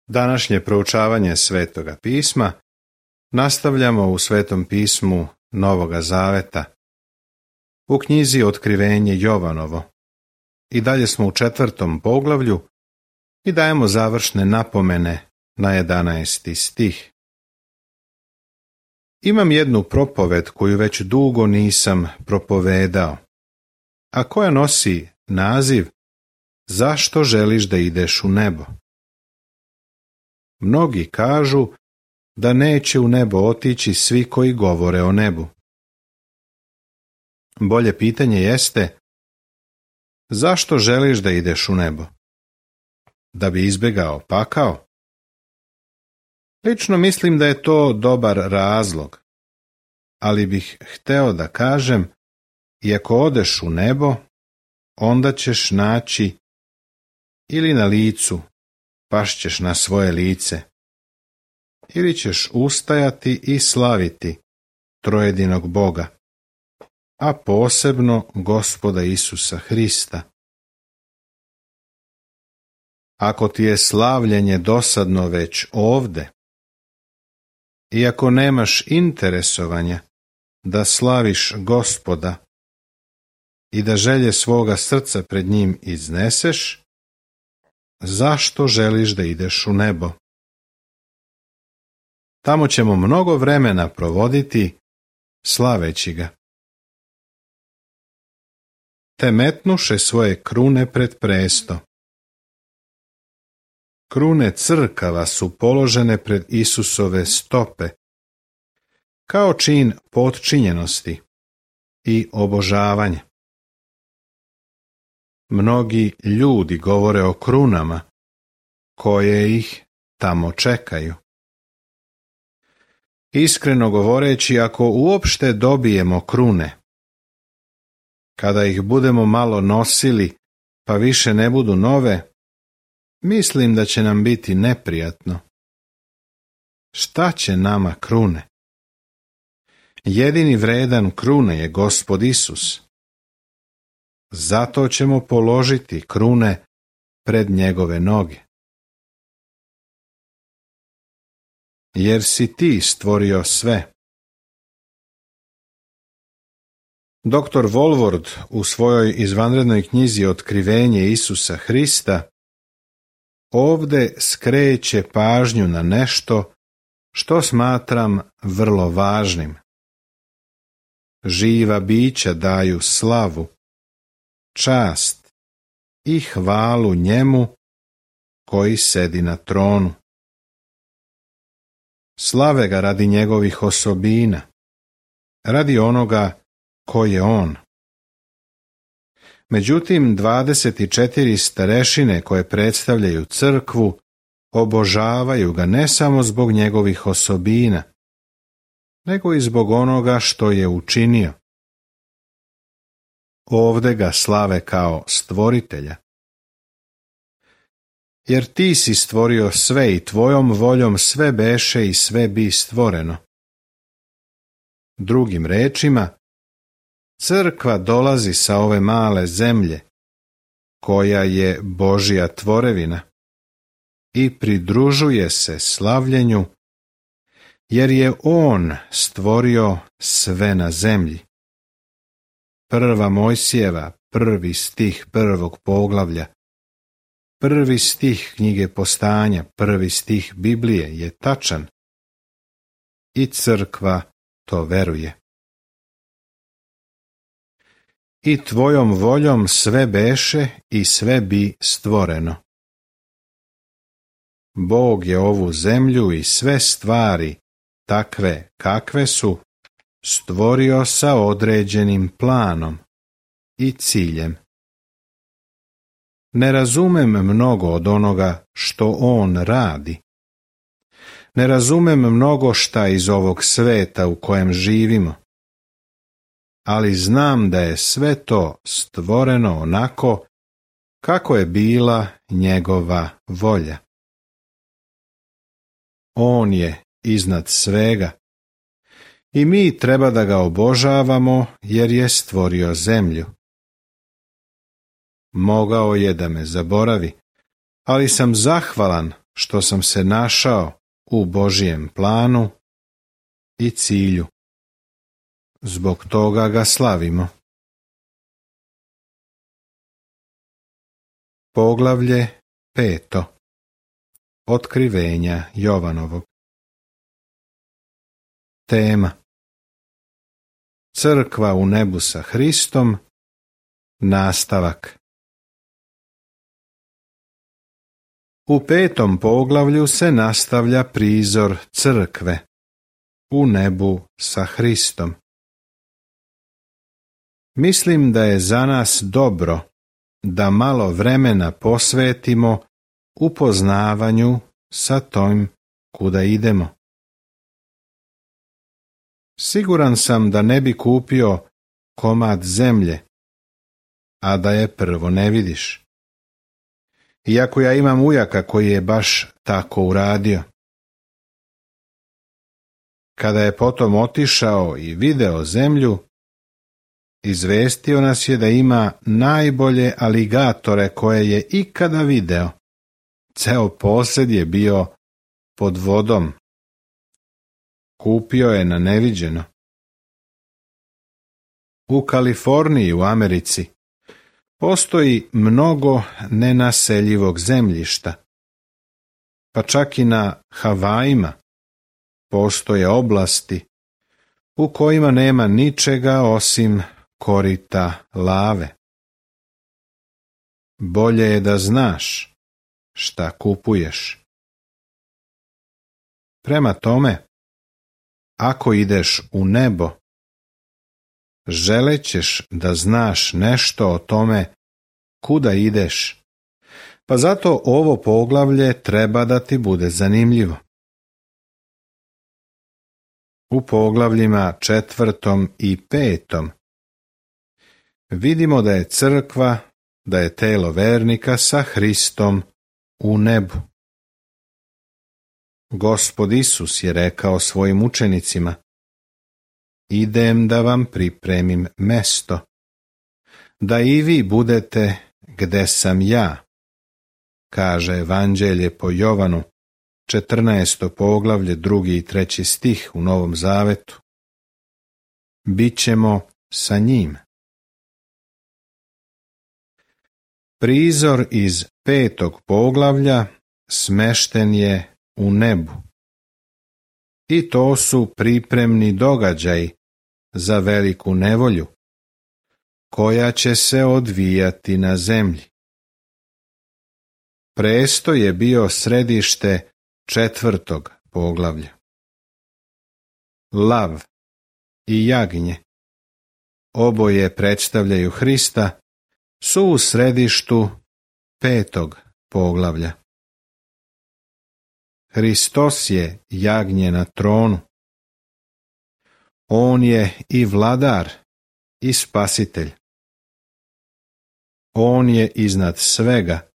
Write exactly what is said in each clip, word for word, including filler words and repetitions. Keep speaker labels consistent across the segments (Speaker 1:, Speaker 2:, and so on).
Speaker 1: Današnje proučavanje Svetoga pisma nastavljamo u Svetom pismu Novoga Zaveta, u knjizi Otkrivenje Jovanovo. I dalje smo u četvrtom poglavlju i dajemo završne napomene na jedanaesti stih. Imam jednu propoved koju već dugo nisam propovedao, a koja nosi naziv Zašto želiš da ideš u nebo? Mnogi kažu da neće u nebo otići svi koji govore o nebu. Bolje pitanje jeste, zašto želiš da ideš u nebo? Da bi izbjegao pakao? Lično mislim da je to dobar razlog, ali bih hteo da kažem, i ako odeš u nebo, onda ćeš naći ili na licu, pašćeš na svoje lice, ili ćeš ustajati i slaviti trojedinog Boga, a posebno Gospoda Isusa Hrista. Ako ti je slavljenje dosadno već ovde, i ako nemaš interesovanja da slaviš Gospoda i da želje svoga srca pred njim izneseš, zašto želiš da ideš u nebo? Tamo ćemo mnogo vremena provoditi slaveći ga. Te metnuše svoje krune pred presto. Krune crkava su položene pred Isusove stope, kao čin potčinjenosti i obožavanja. Mnogi ljudi govore o krunama, koje ih tamo čekaju. Iskreno govoreći, ako uopšte dobijemo krune, kada ih budemo malo nosili, pa više ne budu nove, mislim da će nam biti neprijatno. Šta će nama krune? Jedini vredan krune je Gospod Isus. Zato ćemo položiti krune pred njegove noge. Jer si ti stvorio sve. Doktor Volvord u svojoj izvanrednoj knjizi Otkrivenje Isusa Hrista ovde skreće pažnju na nešto što smatram vrlo važnim. Živa bića daju slavu, čast i hvalu njemu koji sedi na tronu. Slave ga radi njegovih osobina, radi onoga ko je on. Međutim, dvadeset četiri starešine koje predstavljaju crkvu obožavaju ga ne samo zbog njegovih osobina, nego i zbog onoga što je učinio. Ovde ga slave kao stvoritelja. Jer ti si stvorio sve i tvojom voljom sve beše i sve bi stvoreno. Drugim rečima, crkva dolazi sa ove male zemlje, koja je Božja tvorevina, i pridružuje se slavljenju, jer je on stvorio sve na zemlji. Prva Mojsijeva, prvi stih prvog poglavlja, prvi stih knjige Postanja, prvi stih Biblije je tačan i crkva to veruje. I tvojom voljom sve beše i sve bi stvoreno. Bog je ovu zemlju i sve stvari, takve kakve su, stvorio sa određenim planom i ciljem. Ne razumem mnogo od onoga što on radi. Ne razumem mnogo šta iz ovog sveta u kojem živimo. Ali znam da je sve to stvoreno onako kako je bila njegova volja. On je iznad svega i mi treba da ga obožavamo jer je stvorio zemlju. Mogao je da me zaboravi, ali sam zahvalan što sam se našao u Božijem planu i cilju. Zbog toga ga slavimo. Poglavlje peto. Otkrivenja Jovanovog. Tema: Crkva u nebu sa Hristom. Nastavak. U petom poglavlju se nastavlja prizor crkve u nebu sa Hristom. Mislim da je za nas dobro da malo vremena posvetimo upoznavanju sa tom kuda idemo. Siguran sam da ne bi kupio komad zemlje, a da je prvo ne vidiš. Iako ja imam ujaka koji je baš tako uradio. Kada je potom otišao i video zemlju, izvestio nas je da ima najbolje aligatore koje je ikada video. Ceo posed je bio pod vodom. Kupio je na neviđeno. U Kaliforniji u Americi postoji mnogo nenaseljivog zemljišta. Pa čak i na Havajima postoje oblasti u kojima nema ničega osim korita lave. Bolje je da znaš šta kupuješ. Prema tome, ako ideš u nebo, želećeš da znaš nešto o tome kuda ideš, pa zato ovo poglavlje treba da ti bude zanimljivo. U poglavljima četvrtom i petom vidimo da je crkva, da je telo vernika sa Hristom u nebu. Gospod Isus je rekao svojim učenicima: idem da vam pripremim mesto, da i vi budete gde sam ja, kaže Evanđelje po Jovanu, četrnaesto poglavlje, drugi i treći stih u Novom Zavetu. Bićemo sa njim. Prizor iz petog poglavlja smešten je u nebu. I to su pripremni događaji za veliku nevolju, koja će se odvijati na zemlji. Presto je bio središte četvrtog poglavlja. Lav i jagnje, oboje predstavljaju Hrista, su u središtu petog poglavlja. Hristos je jagnje na tronu. On je i vladar i spasitelj. On je iznad svega,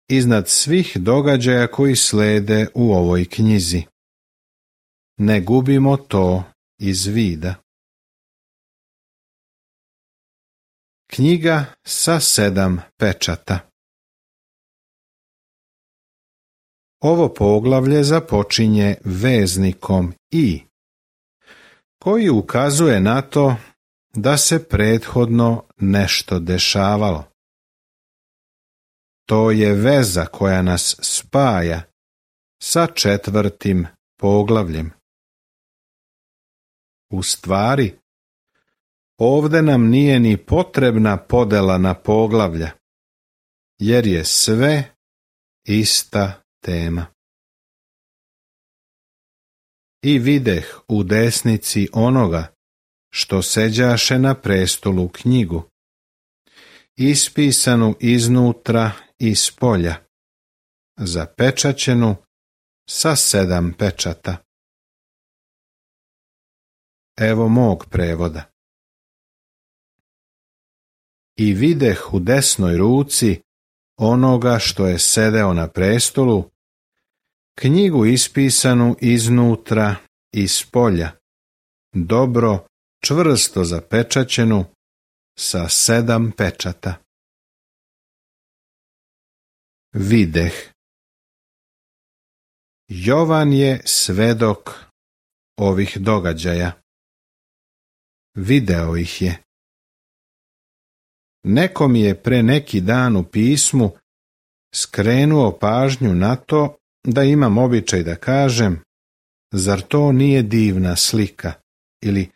Speaker 1: iznad svih događaja koji slede u ovoj knjizi. Ne gubimo to iz vida. Knjiga sa sedam pečata. Ovo poglavlje započinje veznikom i, koji ukazuje na to da se prethodno nešto dešavalo. To je veza koja nas spaja sa četvrtim poglavljem. U stvari, ovde nam nije ni potrebna podela na poglavlja, jer je sve ista tema. I videh u desnici onoga što seđaše na prestolu knjigu, ispisanu iznutra i spolja, zapečaćenu sa sedam pečata. Evo mog prevoda. I videh u desnoj ruci onoga što je sedeo na prestolu, knjigu ispisanu iznutra i spolja, dobro, čvrsto zapečaćenu sa sedam pečata. Videh. Jovan je svedok ovih događaja. Video ih je. Neko mi je pre neki dan u pismu skrenuo pažnju na to da imam običaj da kažem: zar to nije divna slika? Ili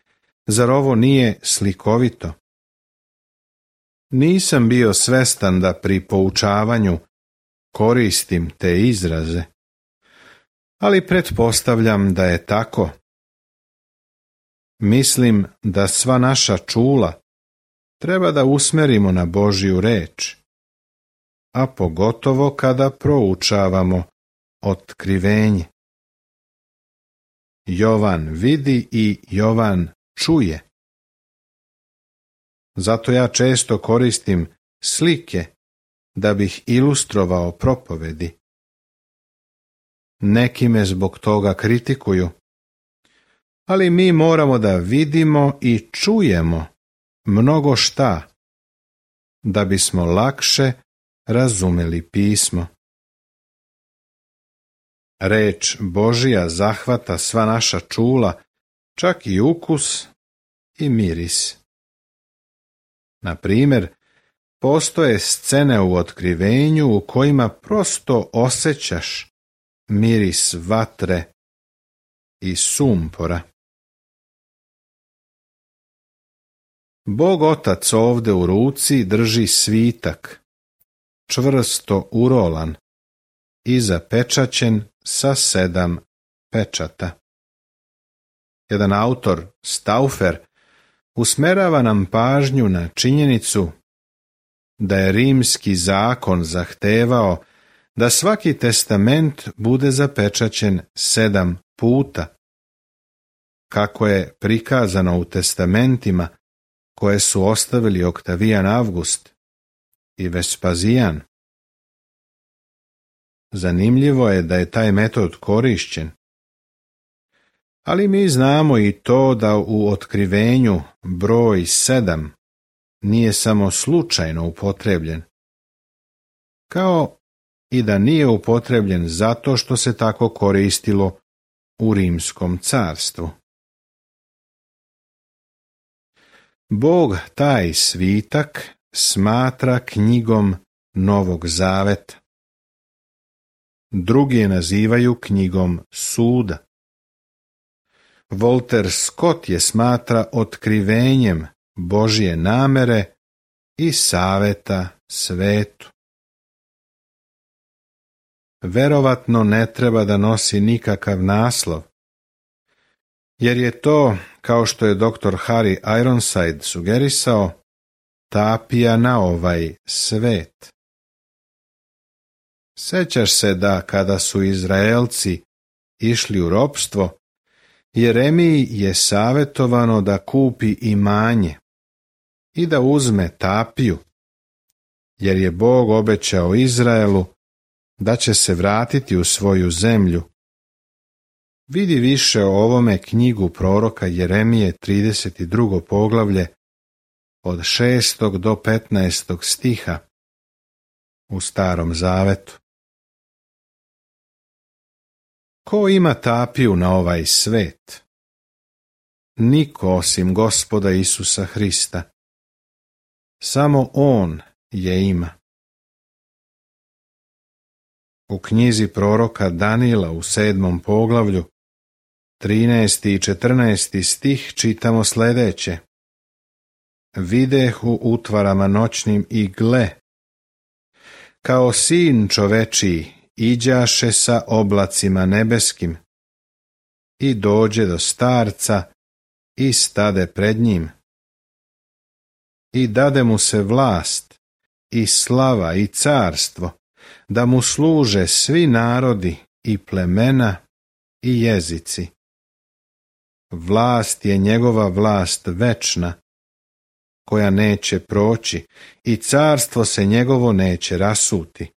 Speaker 1: zar ovo nije slikovito? Nisam bio svestan da pri poučavanju koristim te izraze, ali pretpostavljam da je tako. Mislim da sva naša čula treba da usmerimo na Božju reč, a pogotovo kada proučavamo otkrivenje. Jovan vidi i Jovan čuje. Zato ja često koristim slike da bih ilustrovao propovedi. Neki me zbog toga kritikuju, ali mi moramo da vidimo i čujemo mnogo šta, da bismo lakše razumeli pismo. Reč Božja zahvata sva naša čula, čak i ukus i miris. Na primjer, postoje scene u otkrivenju u kojima prosto osjećaš miris vatre i sumpora. Bog Otac ovde u ruci drži svitak, čvrsto urolan i zapečaćen sa sedam pečata. Jedan autor, Stauffer, usmerava nam pažnju na činjenicu da je rimski zakon zahtevao da svaki testament bude zapečaćen sedam puta, kako je prikazano u testamentima koje su ostavili Oktavijan Avgust i Vespazijan. Zanimljivo je da je taj metod korišćen, ali mi znamo i to da u otkrivenju broj sedam nije samo slučajno upotrebljen, kao i da nije upotrebljen zato što se tako koristilo u Rimskom carstvu. Bog taj svitak smatra knjigom Novog zaveta. Drugi je nazivaju knjigom suda. Walter Scott je smatra otkrivenjem Božje namere i saveta svetu. Verovatno ne treba da nosi nikakav naslov, jer je to, kao što je doktor Harry Ironside sugerisao, tapija na ovaj svet. Sećaš se da kada su Izraelci išli u ropstvo, Jeremiji je savjetovano da kupi imanje i da uzme tapiju, jer je Bog obećao Izraelu da će se vratiti u svoju zemlju. Vidi više o ovome knjigu proroka Jeremije trideset drugo poglavlje od šestog do petnaestog stiha u Starom zavetu. Ko ima tapiju na ovaj svet? Niko osim Gospoda Isusa Hrista. Samo On je ima. U knjizi proroka Danila u sedmom poglavlju, trinaesti i četrnaesti stih čitamo sljedeće. Videh u utvarama noćnim i gle, kao sin čovečiji iđaše sa oblacima nebeskim i dođe do starca i stade pred njim. I dade mu se vlast i slava i carstvo, da mu služe svi narodi i plemena i jezici. Vlast je njegova vlast večna, koja neće proći, i carstvo se njegovo neće rasuti.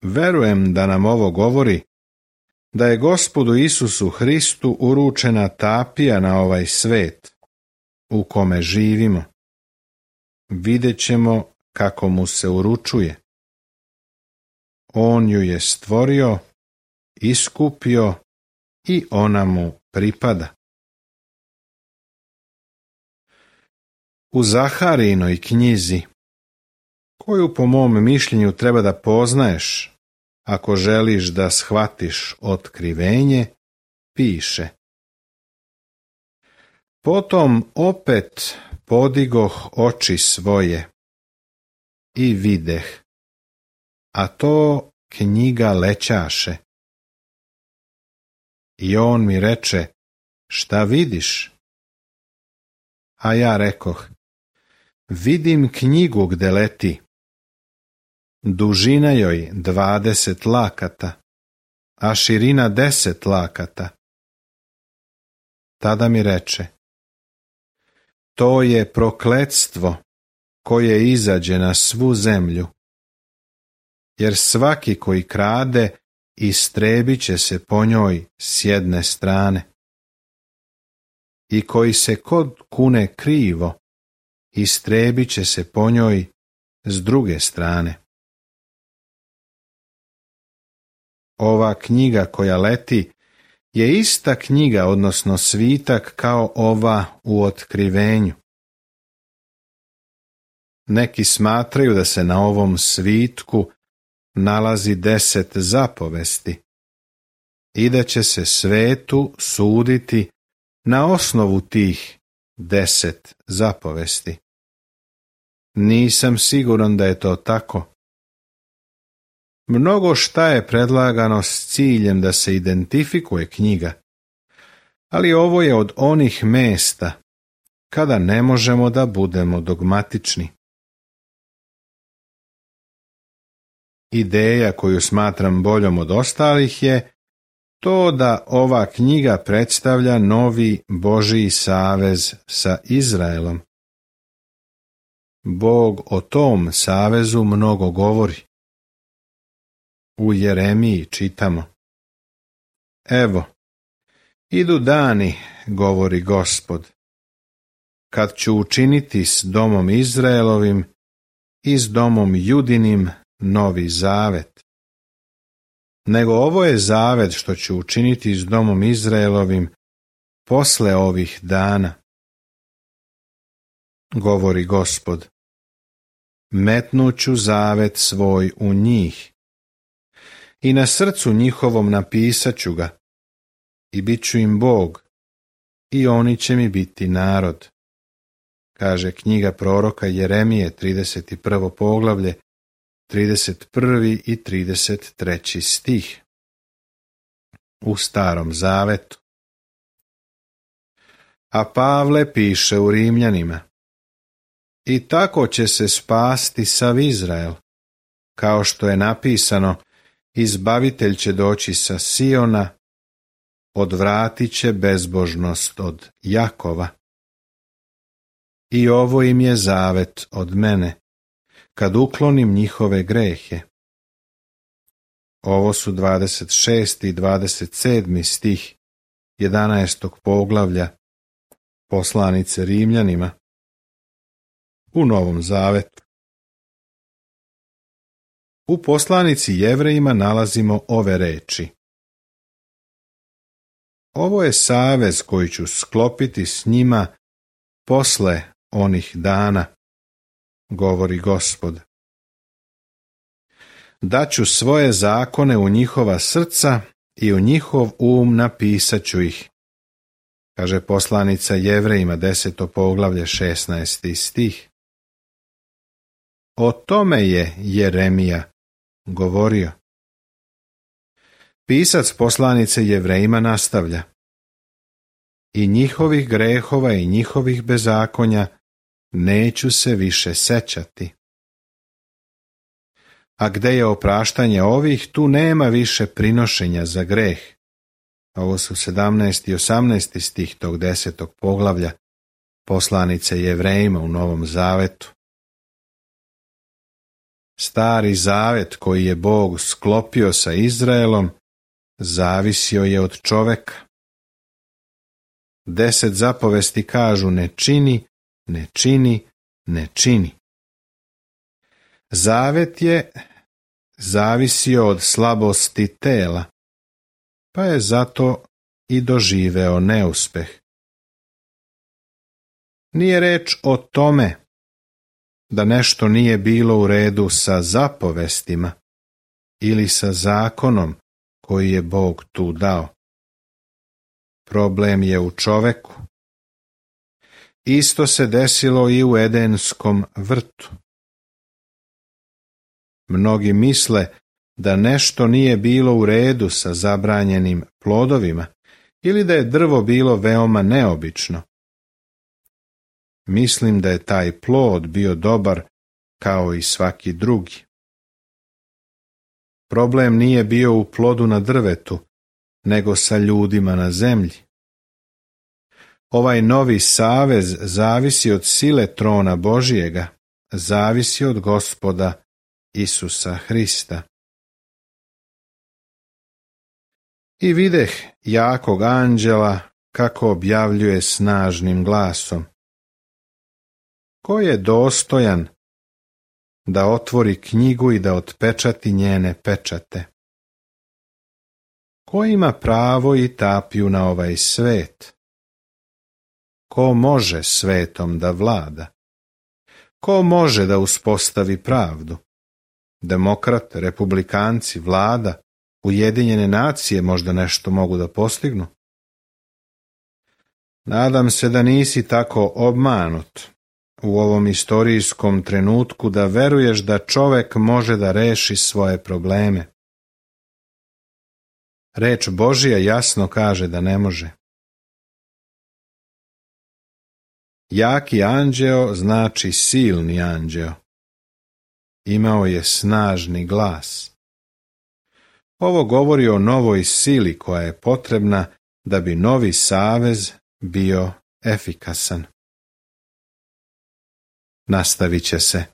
Speaker 1: Verujem da nam ovo govori da je Gospodu Isusu Hristu uručena tapija na ovaj svet u kome živimo. Vidjet ćemo kako mu se uručuje. On ju je stvorio, iskupio i ona mu pripada. U Zaharijinoj knjizi, koju po mom mišljenju treba da poznaješ ako želiš da shvatiš otkrivenje, piše: Potom opet podigoh oči svoje i videh, a to knjiga lećaše. I on mi reče: Šta vidiš? A ja rekoh: Vidim knjigu gde leti. Dužina joj dvadeset lakata, a širina deset lakata. Tada mi reče: To je prokletstvo koje izađe na svu zemlju, jer svaki koji krade istrebit će se po njoj s jedne strane. I koji se kod kune krivo, istrebit će se po njoj s druge strane. Ova knjiga koja leti je ista knjiga, odnosno svitak, kao ova u Otkrivenju. Neki smatraju da se na ovom svitku nalazi deset zapovesti i da će se svetu suditi na osnovu tih deset zapovesti. Nisam siguran da je to tako. Mnogo šta je predlagano s ciljem da se identifikuje knjiga, ali ovo je od onih mesta kada ne možemo da budemo dogmatični. Ideja koju smatram boljom od ostalih je to da ova knjiga predstavlja novi Božji savez sa Izraelom. Bog o tom savezu mnogo govori. U Jeremiji čitamo: Evo, idu dani, govori Gospod, kad ću učiniti s domom Izraelovim i s domom Judinim novi zavet. Nego ovo je zavet što ću učiniti s domom Izraelovim posle ovih dana, govori Gospod. Metnuću zavet svoj u njih i na srcu njihovom napisat ću ga i bit ću im Bog i oni će mi biti narod, kaže knjiga proroka Jeremije, trideset prvo poglavlje, trideset prvi i trideset treći stih. U Starom zavetu. A Pavle piše u Rimljanima: I tako će se spasti sav Izrael, kao što je napisano: Izbavitelj će doći sa Siona, odvratit će bezbožnost od Jakova. I ovo im je zavet od mene, kad uklonim njihove grehe. Ovo su dvadeset šesti i dvadeset sedmi stih jedanaestog poglavlja poslanice Rimljanima u Novom zavetu. U poslanici Jevrejima nalazimo ove reči: Ovo je savez koji ću sklopiti s njima posle onih dana, govori Gospod. Daću svoje zakone u njihova srca i u njihov um napisat ću ih, kaže poslanica Jevrejima, deseto poglavlje, šesnaesti stih. O tome je Jeremija govorio. Pisac poslanice Jevrejima nastavlja: I njihovih grehova i njihovih bezakonja neću se više sećati. A gde je opraštanje ovih, tu nema više prinošenja za greh. Ovo su sedamnaesti i osamnaesti stih tog desetog poglavlja poslanice Jevrejima u Novom zavetu. Stari zavet koji je Bog sklopio sa Izraelom zavisio je od čoveka. Deset zapovesti kažu: ne čini, ne čini, ne čini. Zavet je zavisio od slabosti tela, pa je zato i doživeo neuspeh. Nije reč o tome da nešto nije bilo u redu sa zapovestima ili sa zakonom koji je Bog tu dao. Problem je u čoveku. Isto se desilo i u Edenskom vrtu. Mnogi misle da nešto nije bilo u redu sa zabranjenim plodovima ili da je drvo bilo veoma neobično. Mislim da je taj plod bio dobar kao i svaki drugi. Problem nije bio u plodu na drvetu, nego sa ljudima na zemlji. Ovaj novi savez zavisi od sile trona Božijega, zavisi od Gospoda Isusa Hrista. I videh jakog anđela kako objavljuje snažnim glasom: Ko je dostojan da otvori knjigu i da otpečati njene pečate? Ko ima pravo i tapiju na ovaj svet? Ko može svetom da vlada? Ko može da uspostavi pravdu? Demokrate, republikanci, vlada, Ujedinjene nacije možda nešto mogu da postignu? Nadam se da nisi tako obmanut u ovom istorijskom trenutku da veruješ da čovek može da reši svoje probleme. Reč Božija jasno kaže da ne može. Jaki anđeo znači silni anđeo. Imao je snažni glas. Ovo govori o novoj sili koja je potrebna da bi novi savez bio efikasan. Nastavit će se